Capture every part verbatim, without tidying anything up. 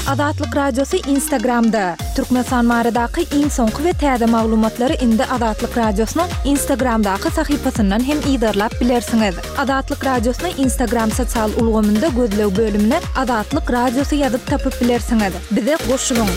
Azatlyk Radiosy Instagramda! Türkmenistan baradaky iň soňky we täze maglumatlary indi Azatlyk Radiosynyň Instagramdaky sahypasyndan hem yzarlap bilersiňiz. Azatlyk Radiosyny Instagram sosial ulgamynda gözleg bölümine Azatlyk Radiosy ýazyp tapyp bilersiňiz. Bize goşulyň!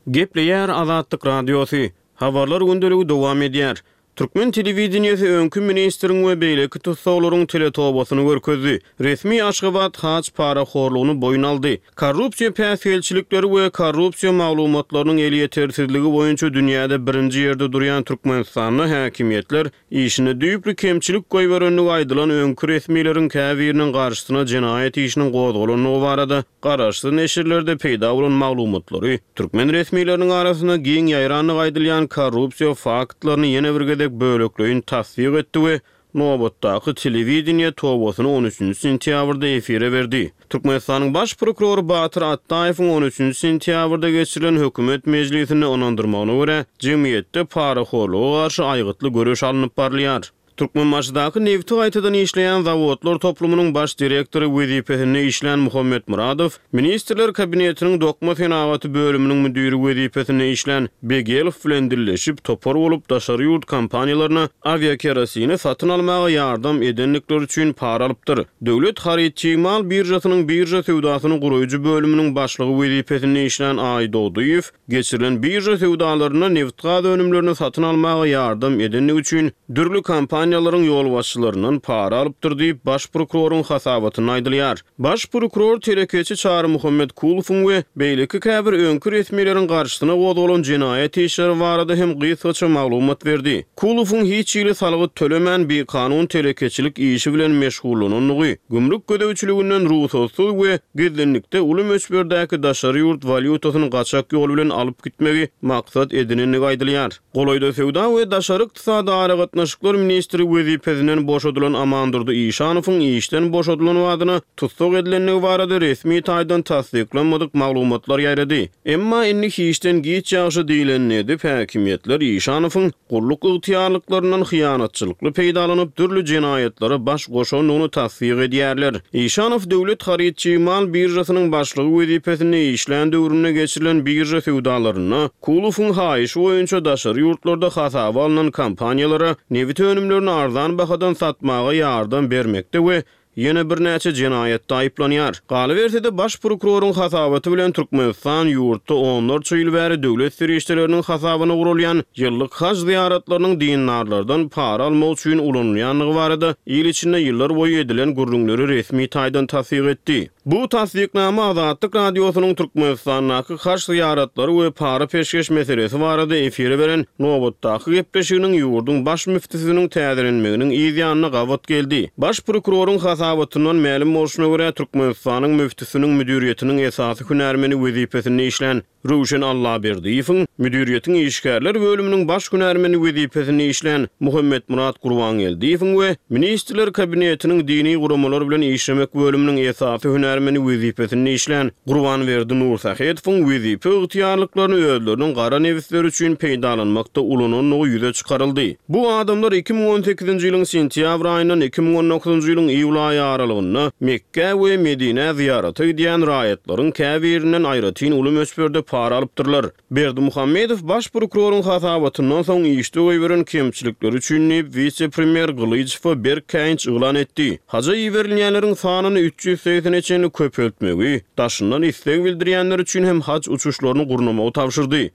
Gepleýär Azatlyk Radiosy. Habarlar gündeligi dowam edýär. Türkmen telewideniýesi öňki ministriň we beýleki tussaglaryň teletobasyny görkezdi. Resmi Aşgabat haj parahorlugyny boýun aldy. Korrupsiýa päsgelçilikleri we korrupsiýa maglumatlarynyň elýetersizligi boýunça dünýäde birinji ýerde durýan Türkmenistanda häkimiýetler işinde düýpli kemçilik goýberendigi aýdylan öňki resmileriň käbiriniň garşysyna jenaýat işiniň gozgalandygy barada garaşsyz neşirlerde peýda bolan maglumatlary türkmen resmileriniň arasynda giň ýaýrandygy aýdylýan korrupsiýa faktlaryny ýene bir gezek bölekleýin tassyk etdi we nobatdaky telewideniýe tobasyny on üçünji sentýabrda efire berdi. Türkmenistanyň Baş prokurory Batyr Atdaýewiň on üçünji sentýabrda geçirilen hökümet mejlisinde ynandyrmagyna görä, jemgyýetde parahorluga garşy aýgytly göreş alnyp barylýar. Türkmenbaşydaky nebiti gaýtadan işleýän zawodlar toplumynyň baş direktory wezipesinde işlän Muhammet Myradow, Ministrler Kabinetiniň dokma senagaty bölüminiň müdiri wezipesinde işlän Begelow bilen dilleşip, topar bolup daşary ýurt kompaniýalaryna awiakerosini satyn almaga ýardam edendikleri üçin para alypdyr. Döwlet haryt-çig mal biržasynyň birža söwdasyny guraýjy bölüminiň başlygy wezipesinde işlän Aýdogdyýew geçirilen birža söwdalarynda nebitgaz önümlerini satyn almaga ýardam edendigi üçin dürli kompaniýalaryň ýolbaşçylaryndan para alypdyr diýip, baş prokuroryň hasabatynda aýdylýar. Baş prokuror telekeçi Çarymuhammet Kulowyň we beýleki käbir öňki resmileriň garşysyna gozgalan jenaýat işleri barada hem gysgaça maglumat berdi. Kulowyň hiç hili salgyt tölemän bikanun telekeçilik işi bilen meşgullanandygy, gümrük gözegçiliginden rugsatsyz we gizlinlikde uly möçberdäki daşary ýurt walýutasyny gaçak ýol bilen alyp gitmegi maksat edinendigi aýdylýar. Golaýda söwda we daşary ykdysady aragatnaşyklar ministri wezipesinden boşadylan Amandurdy Işanowyň işden boşadylan badyna tussag edilendigi barada resmi taýdan tassyklanmadyk maglumatlar ýaýrady. Emma indi hiçden giç ýagşy diýlenini edip, häkimiýetler Işanowyň gulluk ygtyýarlyklaryndan hyýanatçylykly peýdalanyp, dürli jenaýatlara baş goşandygyny tassyk edýärler. Işanow döwlet haryt-çig mal biržasynyň başlygy wezipesinde işlän döwründe geçirilen birža söwdalarynda Kulowyň haýyşy boýunça daşary ýurtlarda hasaba alnan kompaniýalara nebit önümlerini arzan bahadan satmaga ýardam bermekde we ýene birnäçe jenaýatda aýyplanýar. Galyberse-de, baş prokuroryň hasabaty bilen Türkmenistan ýurtda onlarça ýyl bäri döwlet serişdeleriniň hasabyna guralýan ýyllyk haj zyýaratlarynyň dindarlardan para almak üçin ulanylýandygy barada il içinde ýyllar boýy edilen gürrüňleri resmi taýdan tassyk etdi. Bu tassyknama Azatlyk Radiosynyň Türkmenistandaky haj zyýaratlary we para peşgeş meselesi barada efire beren nobatdaky gepleşiginiň ýurduň baş müftüsiniň täzelenmeginiň yz ýanyna gabat geldi. Baş prokuroryň hasabatyndan mälim bolşuna görä, Türkmenistanyň müftüsiniň müdiriýetiniň esasy hünärmeni wezipesinde işlän Röwşen Allaberdiýewiň, müdiriýetiň işgärler bölüminiň baş hünärmeni wezipesinde işlän Muhammetmyrat Gurbangeldiýewiň we Ministrler Kabinetiniň dini guramalar bilen işlemek bölüminiň esasy hünärmeni wezipesinde işlän Gurbanberdi Nursähetowyň wezipe ygtyýarlyklaryny özleriniň gara nebisleri üçin peýdalanmakda ulanandygy ýüze çykaryldy. Bu adamlar iki müň on sekizinji ýylyň sentýabr aýyndan iki müň on dokuzynjy ýylyň iýul aýy aralygynda Mekgä we Medinä zyýarata gidýän raýatlaryň käbirinden aýratyn uly möçberde para alypdyrlar. Berdimuhamedow baş prokuroryň hasabatyndan soň işde goýberen kemçilikleri üçin diýip, wise-premýer Gylyjowa berk käýinç yglan etdi. Haja iberilýänleriň sanyny üç ýüz segsene çenli köpeltmegi, daşyndan isleg bildirýänler üçin hem haj uçuşlaryny gurnamagy tabşyrdy.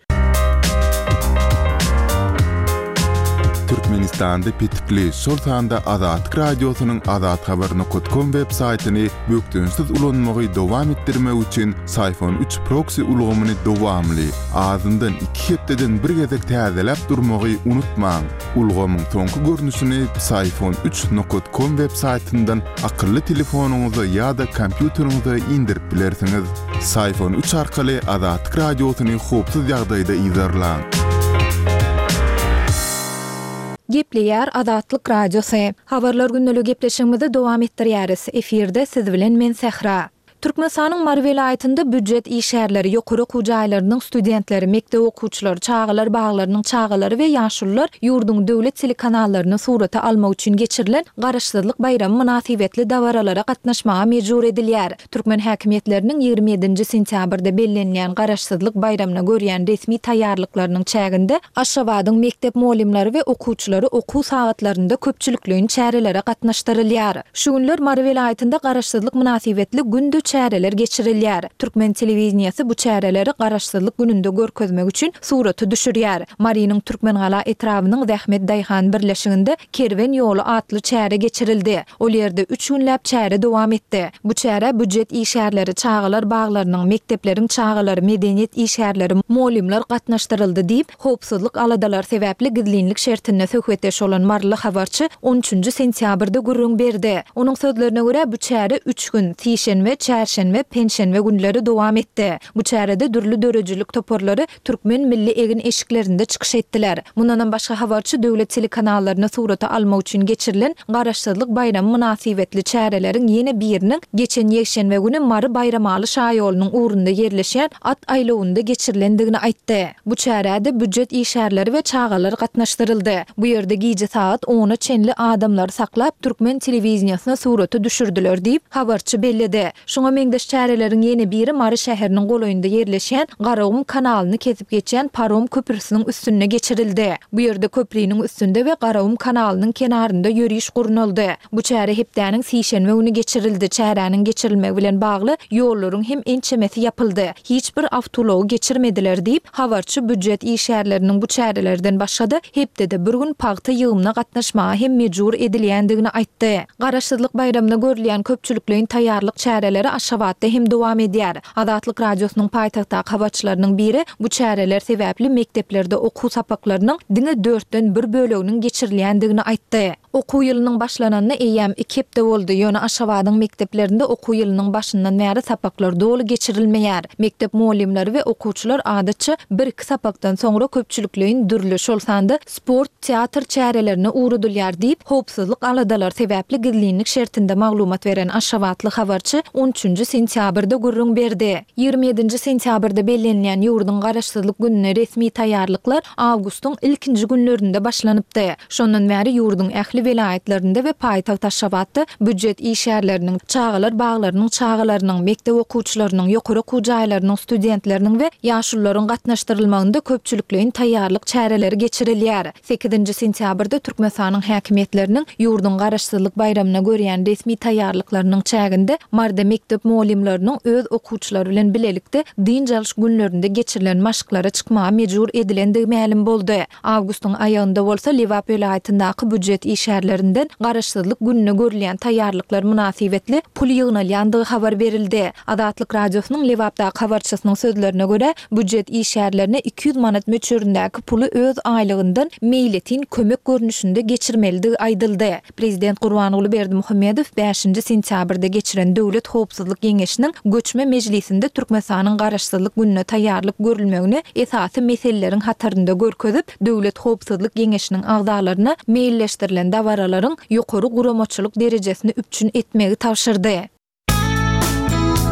Türkmenistanda petikli, şol sanda Azatlyk Radiosynyň azathabar nokat kom web saýtyny bökdençsiz ulanmagy dowam etdirmek üçin Syfon üç proksi ulgamyny dowamly, azyndan iki hepdeden bir gezek täzeläp durmagy unutmaň. Ulgamyň soňky görnüşini Syfon üç nokat kom web saýtyndan akylly telefonyňyza ýa-da kompýuteriňize indirip bilersiňiz. Syfon üç arkaly Azatlyk Radiosyny howpsuz ýagdaýda yzarlaň. Gepleýär Azatlyk Radiosy. Habarlar gündelik gepleşigimizi dowam etdirýäris. Efirde siz bilen men Sähra. Türkmenistanyň Mary welaýatynda býujet işgärleri, ýokary okuw jaýlarynyň studentleri, mekdep okuwçylary, çagalar baglarynyň çagalary we ýaşulular ýurduň döwlet telekanallaryny surata almak üçin geçirilen Garaşsyzlyk baýramy mynasybetli dabaralara gatnaşmaga mejbur edilýär. Türkmen häkimiýetleriniň ýigrimi ýedinji sentýabrda bellenilýän Garaşsyzlyk baýramyna görýän resmi taýýarlyklarynyň çäginde Aşgabadyň mekdep mugallymlary we okuwçylary okuw sagatlarynda köpçülikleýin çärelere gatnaşdyrylýar. Şu günler Mary welaýatynda Garaşsyzlyk mynasybetli günde çäreler geçirilýär. Türkmen telewideniýesi bu çäreleri Garaşsyzlyk gününde görkezmek üçin surata düşürýär. Marynyň Türkmengala etrabynyň Zähmet daýhan birleşiginde Kerwen ýoly atly çäre geçirildi. Ol ýerde üç günläp çäre dowam etdi. Bu çärä býujet işgärleri, çagalar baglarynyň, mekdepleriň çagalary, medeniýet işgärleri, mugallymlar gatnaşdyryldy diýip, howpsuzlyk aladalary sebäpli gizlinlik şertinde söhbetdeş bolan maryly habarçy on üçünji sentýabrda gürrüň berdi. Onuň sözlerine görä, bu çäre üç gün, sişenbe, çärşenbe, penşenbe günleri dowam etdi. Bu çärede dürli döredijilik toparlary türkmen milli egin-eşiklerinde çykyş etdiler. Mundanam başga habarçy döwlet telekanallaryny surata almak üçin geçirilen Garaşsyzlyk baýramy mynasybetli çäreleriň ýene biriniň geçen ýekşenbe güni Mary-Baýramaly şaýolunyň ugrunda ýerleşýän at aýlawynda geçirilendigini aýtdy. Bu çärä-de býujet işgärleri we çagalar gatnaşdyryldy. Bu ýerde gije sagat ona çenli adamlary saklap, türkmen telewideniýesine surata düşürdiler diýip, habarçy belledi. Şuňa meňzeş çäreleriň ýene biri Mary şäheriniň golaýynda ýerleşýän Garagum kanalyny kesip geçýän parom köprüsiniň üstünde geçirildi. Bu ýerde köpriniň üstünde we Garagum kanalynyň kenarynda ýöriş gurnaldy. Bu çäre hepdäniň sişenbe güni geçirildi. Çäräniň geçirilmegi bilen bagly ýollaryň hem ençemesi ýapyldy. Hiç bir awtoulagy geçirmediler diýip, habarçy býujet işgärleriniň bu çärelerden başga-da hepdede bir gün pagta ýygymyna gatnaşmaga hem mejbur edilýändigini aýtdy. Garaşsyzlyk baýramyna görülýän köpçülikleýin taýýarlyk çäreleri Aşgabatda hem dowam edýär. Azatlyk Radiosynyň paýtagtdaky habarçylarynyň biri bu çäreler sebäpli mekdeplerde okuw sapaklarynyň diňe dörtden bir böleginiň geçirilýändigini aýtdy. Okuw ýylynyň başlananyna eýýäm iki hepde boldy, ýöne Aşgabadyň mekdeplerinde okuw ýylynyň başyndan bäri sapaklar doly geçirilmeýär. Mekdep mugallymlary we okuwçylar adatça bir-iki sapakdan soňra köpçülikleýin dürli, şol sanda sport, teatr çärelerine ugradylýar diýip, howpsuzlyk aladalary sebäpli gizlinlik şertinde maglumat beren aşgabatly habarçy on üçünji sentýabrda gürrüň berdi. Ýigrimi ýedinji sentýabrda bellenilýän ýurduň Garaşsyzlyk gününe resmi taýýarlyklar awgustyň ilkinji günlerinde başlanypdy. Şondan bäri ýurduň ähli welaýatlarynda we paýtagt Aşgabatda býujet işgärleriniň, çagalar baglarynyň çagalarynyň, mekdep okuwçylarynyň, ýokary okuw jaýlarynyň studentleriniň we ýaşulularyň gatnaşdyrylmagynda köpçülikleýin taýýarlyk çäreleri geçirilýär. Sekizinji sentýabrda Türkmenistanyň häkimiýetleriniň ýurduň Garaşsyzlyk baýramyna görýän resmi taýýarlyklarynyň çäginde Maryda mekdep mugallymlarynyň öz okuwçylary bilen bilelikde dynç alyş günlerinde geçirilen maşklara çykmaga mejbur edilendigi mälim boldy. Awgustyň aýagynda bolsa Lebap welaýatyndaky býujet işgärlerinden Garaşsyzlyk gününe görülýän taýýarlyklar mynasybetli pul ýygnalýandygy habar berildi. Azatlyk Radiosynyň Lebapdaky habarçysynyň sözlerine görä, býujet işgärlerine iki ýüz manat möçberindäki puly öz aýlygyndan meýletin kömek görnüşinde geçirmelidigi aýdyldy. Prezident Gurbanguly Berdimuhamedow bäşinji sentýabrda geçiren Döwlet howpsuzlyk geňeşiniň göçme mejlisinde Türkmenistanyň Garaşsyzlyk gününe taýýarlyk görülmegini esasy meseleleriň hatarynda görkezip, Döwlet howpsuzlyk geňeşiniň agzalaryna meýilleşdirilen dabaralaryň ýokary guramaçylyk derejesini üpjün etmegi tabşyrdy.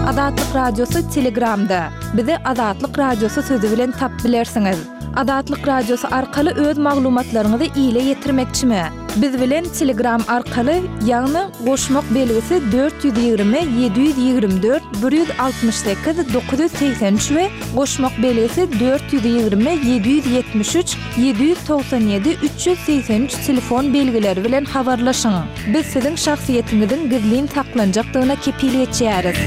Azatlyk Radiosy Telegramda. Bizi Azatlyk Radiosy sözi bilen tapyp bilersiňiz. Azatlyk Radiosy arkaly öz maglumatlaryňyzy ile ýetirmekçimi? Biz bilen Telegram arkaly, ýagny goşmak belgisi dört ýüz ýigrimi ýedi ýüz ýigrimi dört bir ýüz altmyş sekiz dokuz ýüz segsen üç we goşmak belgisi dört ýüz ýigrimi ýedi ýüz ýetmiş üç ýedi ýüz togsan ýedi üç ýüz segsen üç telefon belgileri bilen habarlaşyň. Biz siziň şahsyýetiňiziň gizlin saklanjakdygyna kepil geçýäris.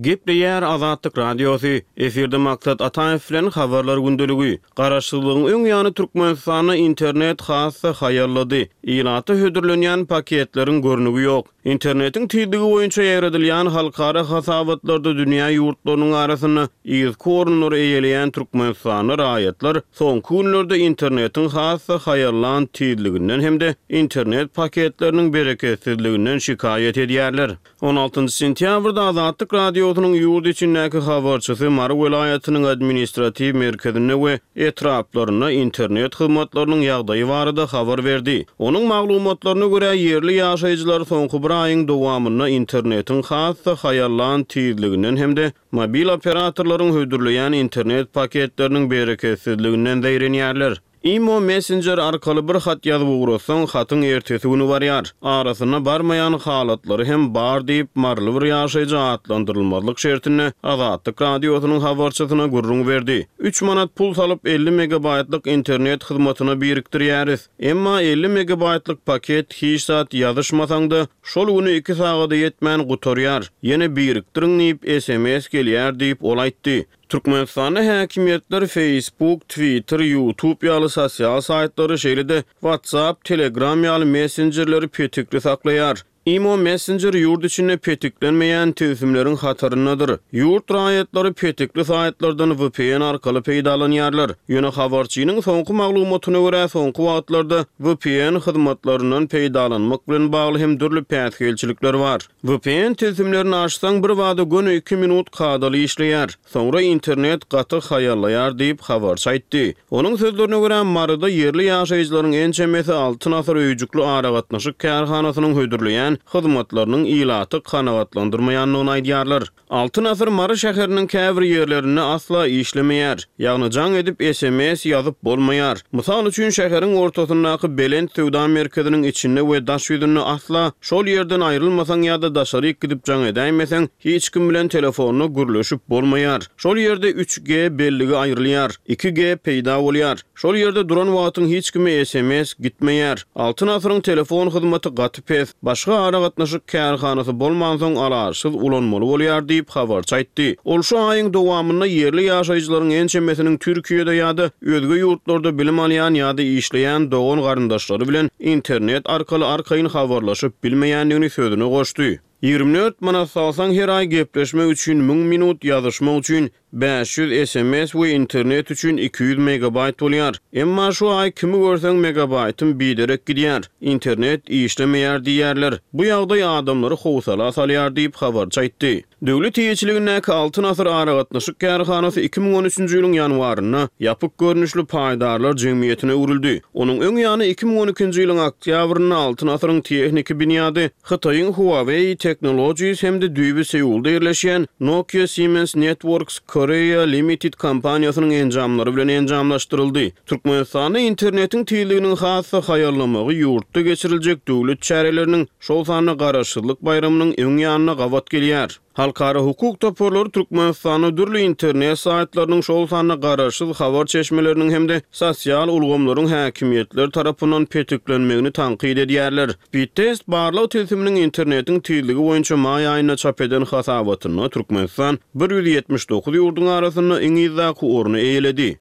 Gepleýär Azatlyk Radiosy, efirde Maksat Ataýew bilen Habarlar gündeligi. Garaşsyzlygyň öň ýany Türkmenistanda internet has-da haýallady. Ilata hödürlenýän paketleriň görnügi ýok. Internetiň tizligi boýunça ýaýradylýan halkara hasabatlarda dünýä ýurtlarynyň arasynda yzky orunlary eýeleýän Türkmenistanda raýatlar soňky günlerde internetiň has-da haýallan tizliginden hem-de internet paketleriniň bereketsizliginden şikaýat edýärler. On altynjy sentýabrda Azatlyk Radiosy Radiosynyň ýurt içindäki habarçysy Mary welaýatynyň administratiw merkezinde we etraplarynda internet hyzmatlarynyň ýagdaýy barada habar berdi. Onuň maglumatlaryna görä, ýerli ýaşaýjylar soňky bir aýyň dowamynda internetiň has-da haýallan tizliginden hem-de mobil operatorlaryň hödürleýän internet paketleriniň bereketsizliginden zeýrenýärler. Imo messenjer arkaly bir hat ýazyp ugratsaň, hatyň ertesi güni barýar. Arasynda barmaýan halatlary hem bar diýip, maryly bir ýaşaýjy atlandyrylmazlyk şertinde Azatlyk Radiosynyň habarçysyna gürrüň berdi. Üç manat pul salyp, elli megabaýtlyk internet hyzmatyna birikdirýäris. Emma elli megabaýtlyk paket hiç zat ýazyşmasaň-da, şol güni iki sagada ýetmän gutarýar. Ýene birikdiriň diýip, sms gelýär diýip, ol aýtdy. Türkmenistanda häkimiýetler Facebook, Twitter, YouTube ýaly sosial saýtlary, şeýle-de WhatsApp, Telegram ýaly messenjerleri petikli saklaýar. Imo messenjer ýurt içinde petiklenmeýän tilsimleriň hataryndadyr. Ýurt raýatlary petikli saýtlardan V P N arkaly peýdalanýarlar. Ýöne habarçynyň soňky maglumatyna görä, soňky wagtlarda V P N hyzmatlaryndan peýdalanmak bilen bagly hem dürli päsgelçilikler bar. V P N tilsimlerini açsaň, bir bada göni iki minut kadaly işleýär. Soňra internet gaty haýallaýar diýip, habarçy aýtdy. Onuň sözlerine görä, Maryda ýerli ýaşaýjylaryň ençemesi Altyn asyr öýjükli aragatnaşyk kärhanasynyň hödürleýän hyzmatlarynyň ilaty kanagatlandyrmaýandygyny aýdýarlar. Altyn asyr Mary şäheriniň käbir ýerlerinde asla işlemeýär. Ýagny jaň edip S M S ýazyp bolmaýar. Mysal üçin, şäheriň ortasyndaky Belent söwda merkeziniň içinde we daş ýüzünde asla şol ýerden aýrylmasaň ýa-da daşaryk gidip jaň edäýmeseň, hiç kim bilen telefonda gürleşip bolmaýar. Şol ýerde üç G belligi aýrylýar, iki G peýda bolýar. Şol ýerde duran wagtyň hiç kime S M S gitmeýär. Altyn asyryň telefon hyzmaty gaty pes. Başga aragatnaşyk kärhanasy bolmansoň alaçsyz ulanmaly bolýar diýip, habarçy aýtdy. Ol şu aýyň dowamynda ýerli ýaşaýjylaryň ençemesiniň Türkiýede ýa-da özge ýurtlarda bilim alýan ýa-da işleýän dogan garyndaşlary bilen internet arkaly arkaýyn habarlaşyp bilmeýändigini sözüne goşdy. Ýigrimi dört manat salsaň, her aý gepleşmek üçin müň minut, ýazyşmak üçin bäş ýüz S M S we internet üçin iki ýüz megabaýt bolýar. Emma şu aý kimi görseň megabaýtym biderek gidýär, internet işlemeýär diýýärler. Bu ýagdaý adamlary howsala salýar diýip, habarçy aýtdy. Döwlet eýeçiligindäki Altyn asyr aragatnaşyk kärhanasy iki müň on üçünji ýylyň ýanwarynda ýapyk görnüşli paýdarlar jemgyýetine öwrüldi. Onuň öň ýany iki müň on ikinji ýylyň oktýabrynda Altyn asyryň tehniki binýady Hytaýyň Huawei Technologies hem-de düýbi Seulda ýerleşýän Nokia Siemens Networks Korea Limited kompaniýasynyň enjamlary bilen enjamlaşdyryldy. Türkmenistanda internetiň tizliginiň has-da haýallamagy ýurtda geçiriljek döwlet çäreleriniň, şol sanda Garaşsyzlyk baýramynyň öň ýanyna gabat gelýär. Halkara hukuk toparlary Türkmenistanda dürli internet saýtlarynyň, şol sanda garaşsyz habar çeşmeleriniň hem-de sosial ulgamlaryň häkimiýetler tarapyndan petiklenmegini tankyt edýärler. Speedtest barlag tilsiminiň internetiň tizligi boýunça maý aýynda çap eden hasabatynda Türkmenistan bir ýüz ýetmiş dokuz ýurduň arasynda iň yzdaky orny eýeledi.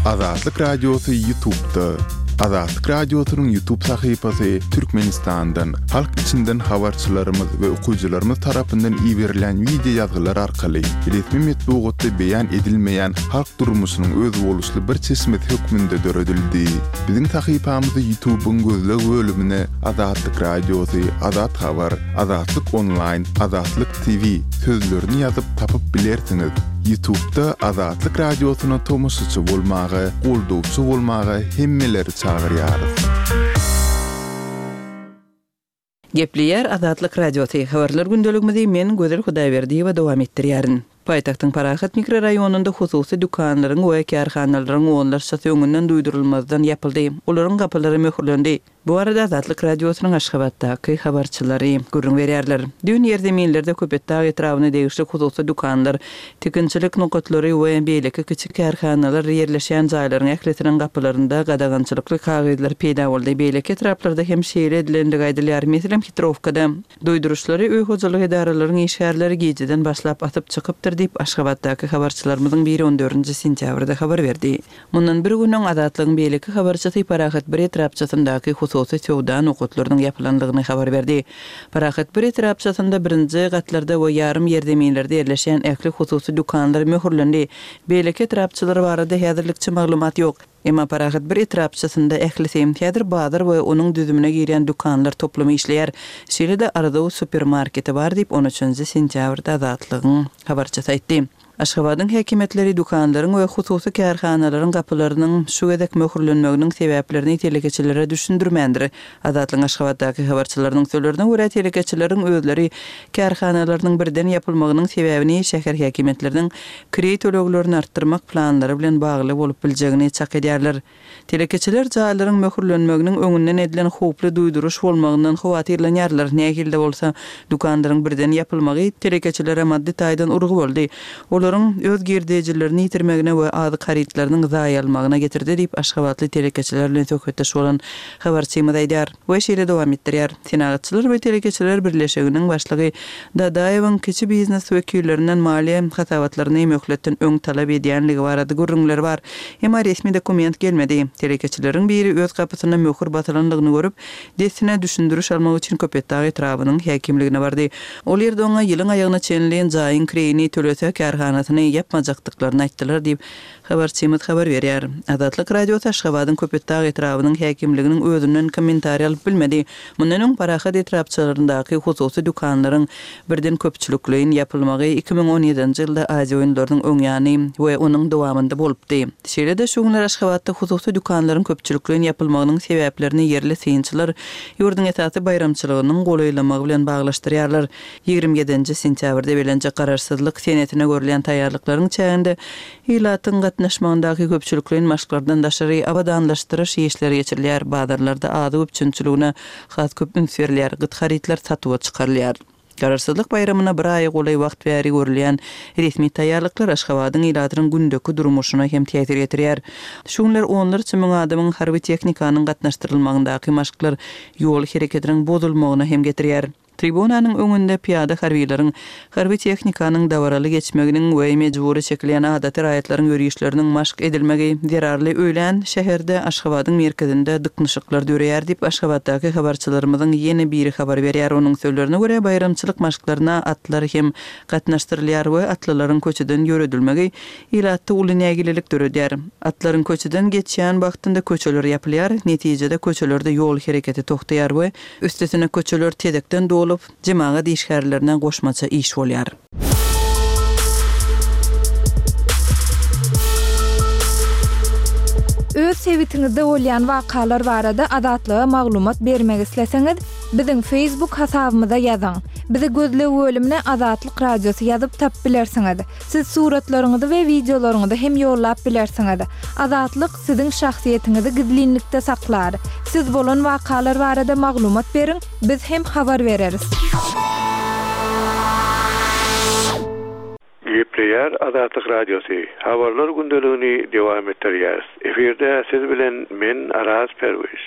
Azatlyk Radiosy YouTube'da. Azatlyk Radiosynyň YouTube sahypasy Türkmenistandan, halk içinden habarçylarymyz we okyjylarymyz tarapyndan iberilen wideo ýazgylar arkaly resmi metbugatda beýan edilmeýän halk durmuşynyň özboluşly bir çeşmesi hökmünde döredildi. Biziň sahypamyzy YouTube'yň gözleg bölümine Azatlyk Radiosy, Azat Habar, Azatlyk Online, Azatlyk T V sözlerini ýazyp tapyp bilersiňiz. YouTube'da Azatlyk Radiosyna tomaşaçy bolmaga, goldawçy bolmaga hemmeleri çagyrýarys. Gepleýär Azatlyk Radiosy. Habarlar gündeligimizi men Gözel Hudaýberdiýewa dowam etdirýärin. Paýtagtyň Parahat mikroraýonynda hususy dükanlaryň we kärhanalaryň onlarçasy öňünden duýdurylmazdan ýapyldy. Olaryň gapylary möhürlendi. Bu arada Azatlyk Radiosynyň Aşgabatdaky habarçylary gürrüň berýärler. Dün ýerzeminlerde Köpetdag etrabyna degişli hususy dükanlar, tikinçilik nokatlary we beýleki kiçi kärhanalar ýerleşen jaýlaryň ählisiniň gapylarynda gadagançylykly kagyzlar peýda boldy. Beýleki etraplarda hem şeýle edilendigi aýdylýar. Meselem, Hitrowkada duýduryşlary öý hojalyk edaralaryň işgärleri gijeden başlap atyp çykypdyr diýip Aşgabatdaky habarçylarymyzyň biri on dördünji sentýabrda habar berdi. Mundan bir gün öň Azatlygyň beýleki habarçysy Parahat bir etrapçasyndaky hususy söwda nokatlarynyň ýapylandygyny habar berdi. Parahat bir etrapçasynda birinji gatlarda we ýarym ýerzeminlerde ýerleşen ähli hususy dükanlar möhürlendi. Beýleki etrapçalar barada häzirlikçe maglumat ýok. Emma Parahat bir etrapçasynda ählisi häzir bazar we onuň düzümine girýän dükanlar toplumy işleýär. Şeýle-de Arzuw supermarketi bar diýip, on üçünji sentýabrda Azatlygyň habarçysy aýtdy. Aşgabadyň häkimiýetleri dükanlaryň we hususy kärhanalaryň gapylarynyň şu gezek möhürlenmeginiň sebäplerini telekeçilere düşündirmändir. Azatlygyň Aşgabatdaky habarçylarynyň sözlerine görä, telekeçileriň özleri kärhanalarynyň birden ýapylmagynyň sebäbini şäher häkimiýetleriniň kireý töleglerini artdyrmak planlary bilen bagly bolup biljegini çak edýärler. Telekeçiler jaýlaryň möhürlenmeginiň öňünden edilen howply duýduryş bolmagyndan howatyrlanýarlar. Nähili-de bolsa, dükanlaryň birden ýapylmagy telekeçilere maddy taýdan urgy boldy. Olaryň öz girdejilerini ýitirmegine we azyk harytlarynyň zaýalmagyna getirdi diýip, aşgabatly telekeçiler bilen söhbetdeş bolan habarçymyz aýdýar we şeýle dowam etdirýär. Senagatçylar we telekeçiler birleşiginiň başlygy Dadaýewiň kiçi biznes wekillerinden maliýe hasabatlaryny möhletden öň talap edýänligi barada gürrüňler bar. Emma resmi dokument gelmedi. Telekeçileriň biri öz gapysyna möhür basylandygyny görüp, dessine düşündiriş almak üçin Köpetdag etrabynyň häkimligine bardy. Ol ýerde oňa ýylyň aýagyna çenli jaýyň kireýini tölese kärhanasyny ýapmajakdyklaryny aýtdylar diýip, habarçymyz habar berýär. Azatlyk Radiosy Aşgabadyň Köpetdag etrabynyň häkimliginiň özünden kommentariý alyp bilmedi. Mundan öň Parahat etrapçalaryndaky hususy dükanlaryň birden köpçülikleýin ýapylmagy iki müň on ýedinji ýylda Aziýa oýunlarynyň öň ýany we onuň dowamynda bolupdy. Şeýle-de şu günler Aşgabatda hususy dükanlaryň köpçülikleýin ýapylmagynyň sebäplerini ýerli synçylar ýurduň esasy baýramçylygynyň golaýlamagy bilen baglaşdyrýarlar. Ýigrimi ýedinji sentýabrda belenjek garaşsyzlyk senesine görülýän taýýarlyklaryň çäginde ilatyň gatnaşmagyndaky köpçülikleýin maşklardan daşary abadanlaşdyryş işleri geçirilýär, bazarlarda azyk üpjünçiligine has köp üns berilýär, gyt harytlar satuwa çykarylýar. Garaşsyzlyk baýramyna bir aýa golaý wagt bäri görülýän resmi taýýarlyklar Aşgabadyň ilatynyň gündeki durmuşyna hem täsir ýetirýär. Şu günler onlarça müň adamyň harby tehnikanyň gatnaşdyrylmagyndaky maşklar ýol hereketiniň bozulmagyna hem getirýär. Tribunanyň öňünde pyýada harbiýleriň, harby tehnikanyň dabaraly geçmeginiň we mejbury çekilýän adaty raýatlaryň ýörişleriniň maşk edilmegi zerarly öýlän şäherde Aşgabadyň merkezinde dyknyşyklar döreýär diýip, Aşgabatdaky habarçylarymyzyň ýene biri habar berýär. Onuň sözlerine görä, baýramçylyk maşklaryna atlar hem gatnaşdyrylýar we atlylaryň köçeden ýöredilmegi ilatda uly nägilelik döredýär. Atlaryň köçeden geçýän wagtynda köçeler ýapylýar, netijede köçelerde ýol hereketi tohtaýar we üstesine köçeler tezekden dolup, jemagat işgärlerine goşmaça iş bolýar. Öz sebitiňizde bolýan wakalar barada Azatlyga maglumat bermek isleseňiz, biziň Facebook hasabymyza ýazyň. Bizi gözleg bölümine Azatlyk Radiosy ýazyp tapyp bilersiňiz. Siz suratlaryňyzy we wideolaryňyzy hem ýollap bilersiňiz. Azatlyk siziň şahsyýetiňizi gizlinlikde saklar. Siz bolan wakalar barada maglumat beriň, biz hem habar bereris. Gepleýär Azatlyk Radiosy. Habarlar gündeligini dowam etdirýär. Efirde siz bilen men Araz Perwiz.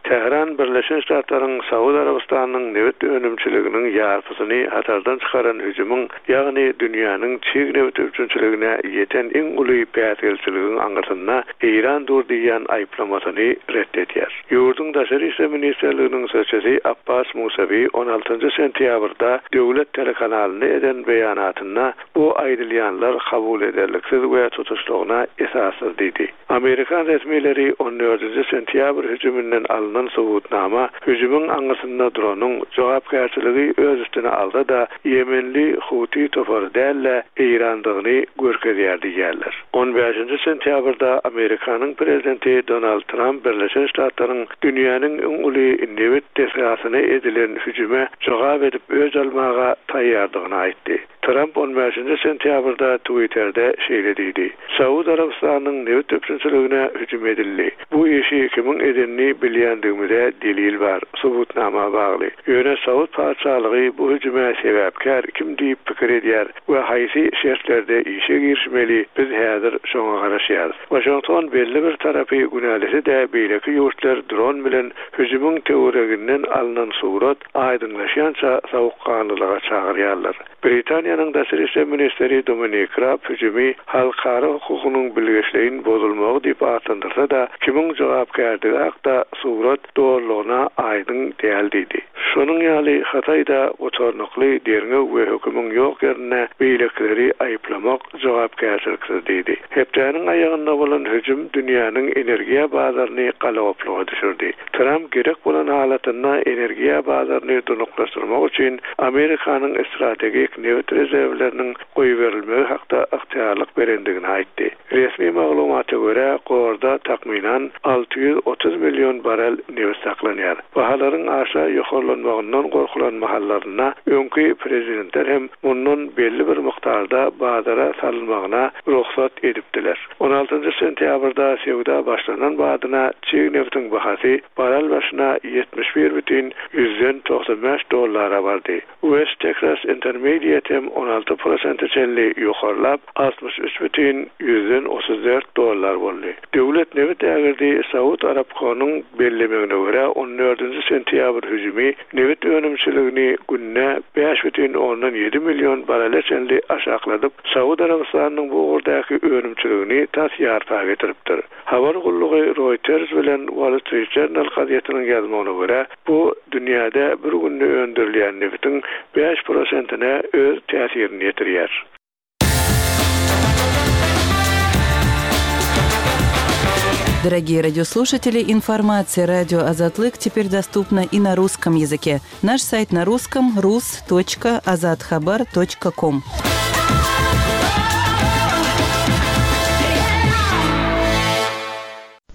Tähran Birleşen Ştatlaryň Saud Arabystanynyň nebit önümçiliginiň ýarpysyny hatardan çykaran hüjümiň, ýagny dünýäniň çig nebit üpjünçiligine ýeten iň uly päsgelçiligiň aňyrsynda Eýran dur diýen aýyplamasyny ret edýär. Ýurduň Daşary işler ministrliginiň sözçüsi Abbas Musawi on altynjy sentýabrda döwlet telekanalynda eden beýanatynda bu aýdylýanlar kabul ederliksiz we tutuşlygyna esassyz diýdi. Amerikan resmileri on dördünji sentýabr hüjüminden alynan subutnama hüjümiň aňyrsynda duranyň jogapkärçiligi öz üstüne alsa-da Ýemenli Huti topary däl-de Eýrandygyny görkezýär diýýärler. On bäşinji sentýabrda Amerikanyň prezidenti Donald Trump Birleşen Ştatlaryň dünýäniň iň uly nebit desgasyna edilen hüjüme jogap edip öz almaga taýýardygyny aýtdy. Trump on bäşinji sentýabrda Twitter'de şeýle diýdi: Saud Arabystanynyň nebit üpjünçiligine hüjüm edildi. Bu işi kimiň edenini bilýändigimize delil bar, subutnama bagly. Ýöne Saud patyşalygy bu hüjüme sebäpkär kim diýip pikir edýär we haýsy şertlerde işe girişmeli, biz häzir şoňa garaşýarys. Washington belli bir tarapy günälisi-de beýleki ýurtlar dron bilen hüjümiň töwereginden alynan surat aýdyňlaşýança sowukganlylyga çagyrýarlar. Britaniýanyň Daşary işler ministri Dominik Raab hüjümi halkara hukugynyň bilgeşleýin bozulmagy diýip atlandyrsa-da, kimiň jogapkärdigi hakda surat dogrulygyna aýdyň däl diýdi. Şonuň ýaly Hytaý-da gutarnykly derňew we hökümiň ýok ýerinde beýlekileri aýyplamak jogapkärçiliksiz diýdi. Hepdäniň aýagynda bolan hüjüm dünýäniň energiýa bazaryny galagopluga düşürdi. Tramp gerek bolan halatynda energiýa bazaryny durnuklaşdyrmak üçin Amerikanyň strategik nebit rezerwleriniň goýberilmegi hakda ygtyýarlyk berendigini aýtdy. Resmi maglumata görä, gorda takmynan alty ýüz otuz million barel nebit saklanýar. Bahalaryň aşa ýokarlanmagyndan gorkulan mahallarynda öňki prezidentler hem mundan belli bir mukdarda bazara salynmagyna rugsat edipdiler. On altynjy sentýabrda söwda başlanan badyna çig nebitiň bahasy barel başyna ýetmiş bir bütin ýüzden togsan bäş dollara bardy. West Texas Intermediate hem on alty prosente çenli ýokarlap, altmyş üç bütin ýüzden otuz dört dollar boldy. Döwlet nebit ägirdi Saud Arabkonyň bellemegine görä on dördünji sentýabr hüjümi nebit önümçiligini günde bäş bütin ondan ýedi million barele çenli aşakladyp, Saud Arabystanynyň bu ugurdaky önümçiligini tas ýarpa getiripdir. Habar gullugy Reuters bilen Wall Street Journal gazetiniň ýazmagyna görä, bu dünýäde bir günde öndürilýän nebitiň bäş prosentine öz täsirini ýetirýär. Дорогие радиослушатели, информация радио Азатлык теперь доступна и на русском языке. Наш сайт на русском рус точка азатхабар точка ком.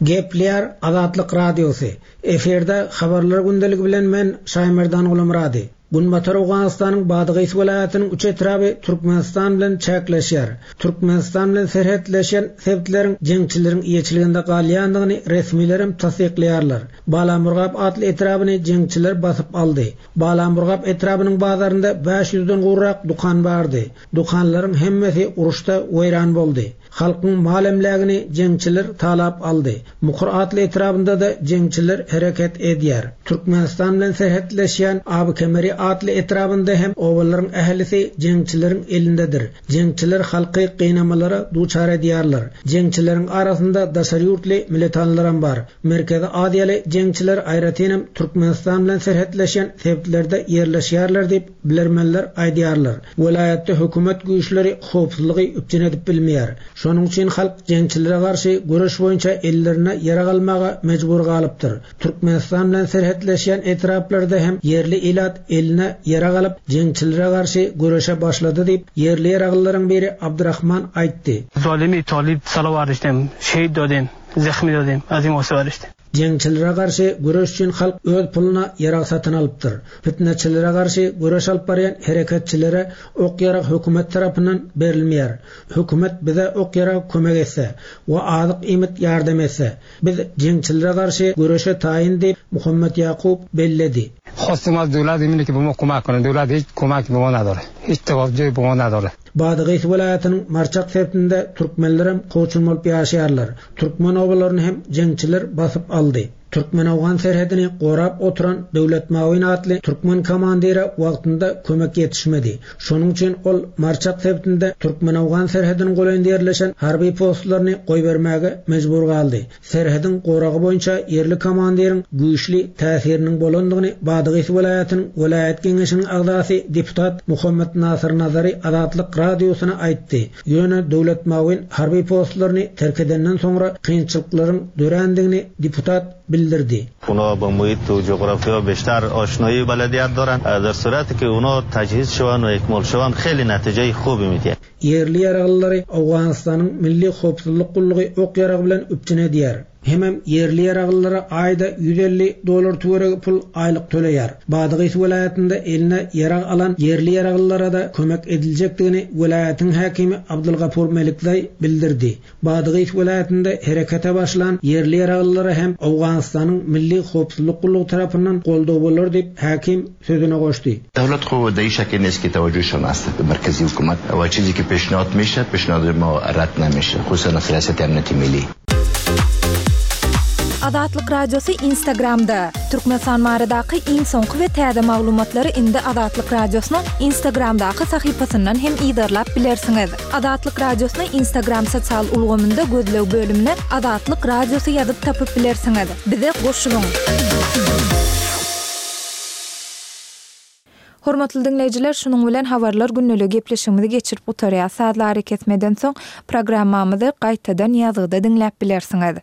Gepleýär Azatlyk Radiosy. Efirde habarlar gündeligi bilen men Şaýmerdan Gulamrady. Günbatar Owganystanyň Badagys welaýatynyň üç etraby Türkmenistan bilen çäkleşýär. Türkmenistan bilen serhetleşen sebitleriň jeňçileriň eýeçiliginde galýandygyny resmiler hem tassyklaýarlar. Balamurgap atly etrabyny jeňçiler basyp aldy. Balamurgap etrabynyň bazarynda bäş ýüzden gowrak dukan bardy. Dukanlaryň hemmesi uruşda weýran boldy. Halkyň mal emlägini jeňçiler talap aldy. Mukur atly etrabynda da jeňçiler hereket edýär. Türkmenistan bilen serhetleşýän Abykemeri atly etrabynda hem owalaryň ählisi jeňçileriň elindedir. Jeňçiler halky gynamalara duçar edýärler. Jeňçileriň arasynda daşary ýurtly militanlar hem bar. Merkezi Aziýaly jeňçiler aýratyn hem Türkmenistan bilen serhetleşen sebitlerde ýerleşýärler diýip bilermenler aýdýarlar. Welaýatda hökümet güýçleri howpsuzlygy üpjün edip bilmeýär. Şonuň üçin halk jeňçilere garşy göreş boýunça ellerine ýarag almaga mejbur galypdyr. Türkmenistan bilen serhetleşen etraplarda hem ýerli ilat eline ýarag alyp jeňçilere garşy göreşe başlady diýip ýerli ýaraglylaryň biri Abdurrahman aýtdy. Zalimi talib salawarişdim, şehit dodem, zehmi dodem, azim oswarişdim. Jeňçilere garşy göreş üçin halk öz puluna ýarag satyn alypdyr. Fitneçilere garşy göreş alyp barýan hereketçilere ok ýarag hökümet tarapyndan berilmeýär. Hökümet bize ok ýarag kömek etse we azyk iýmit ýardam etse, biz jeňçilere garşy göreşe taýyn diýip Muhammet Ýakup belledi. Khostim az döwlet emini ki bu kömek konu, döwlet hiç kömek bu nadore. Hiç tawajjuh bu nadore. Badagys welaýatynyň Marçak sebitinde türkmenler hem koçun bolup ýaşaýarlar. Türkmen obalaryny hem jeňçiler basyp aldy. Türkmen-Owgan serhedini gorap oturan Döwlet Mawin atly türkmen komandiri wagtynda kömek ýetişmedi. Şonuň üçin ol Marçak sebitinde Türkmen-Owgan serhediniň golaýynda ýerleşen harby postlaryny goýbermäge mejbur galdy. Serhediň goragy boýunça ýerli komandiriň güýçli täsiriniň bolandygyny Badagys welaýatynyň welaýat geňeşiniň agzasy deputat Muhammet Nasir Nazary Azatlyk radiosyna aýtdy. Ýöne Döwlet Mawin harby postlaryny terk edenden soňra kynçylyklaryň dörändigini deputat bildirdi. Ona با محیط و جغرافیا بیشتر آشنایی بلدیت دارن. در صورتی که اونا تجهیز شوند و اکمال شوند خیلی نتیجه خوبی میده. Yerli ýaraglylary Owganystanyň Milli Howpsuzlyk Gullugy ok ýaragy bilen üpjün edýär. Hemem yerli ýaraglylara aýda ýüz elli dollar töweregi pul aýlyk töleýär. Badagys welaýatynda eline ýarag alan yerli ýaraglylara da kömek ediljekdigini welaýatyň häkimi Abdulgafur Melikzaý bildirdi. Badagys welaýatynda herekete başlan yerli ýaraglylara hem Owganystanyň Milli Howpsuzlyk Gullugy tarapyndan goldaw bolar diýip häkim sözüne goşdy. Döwlet gowy değişik enes ki tevaccüh şon ast merkezi hükümet ve çizi ki peşnat meşe, peşnat ma rad nemeşe, hususan siyaset emniyeti milli. Azatlyk Radiosy Instagramda. Türkmenistan baradaky iň soňky we täze maglumatlary indi Azatlyk Radiosynyň Instagramdaky sahypasyndan hem yzarlap bilersiňiz. Azatlyk Radiosyny Instagram sosial ulgamynda gözleg bölümine Azatlyk Radiosy ýazyp tapyp bilersiňiz. Bize goşulyň. Hormatly diňleýjiler, şunuň bilen habarlar gündeligi gepleşigimizi geçirip gutarýas. Sazly arakesmeden soň programmamyzy gaýtadan ýazgyda diňläp bilersiňiz.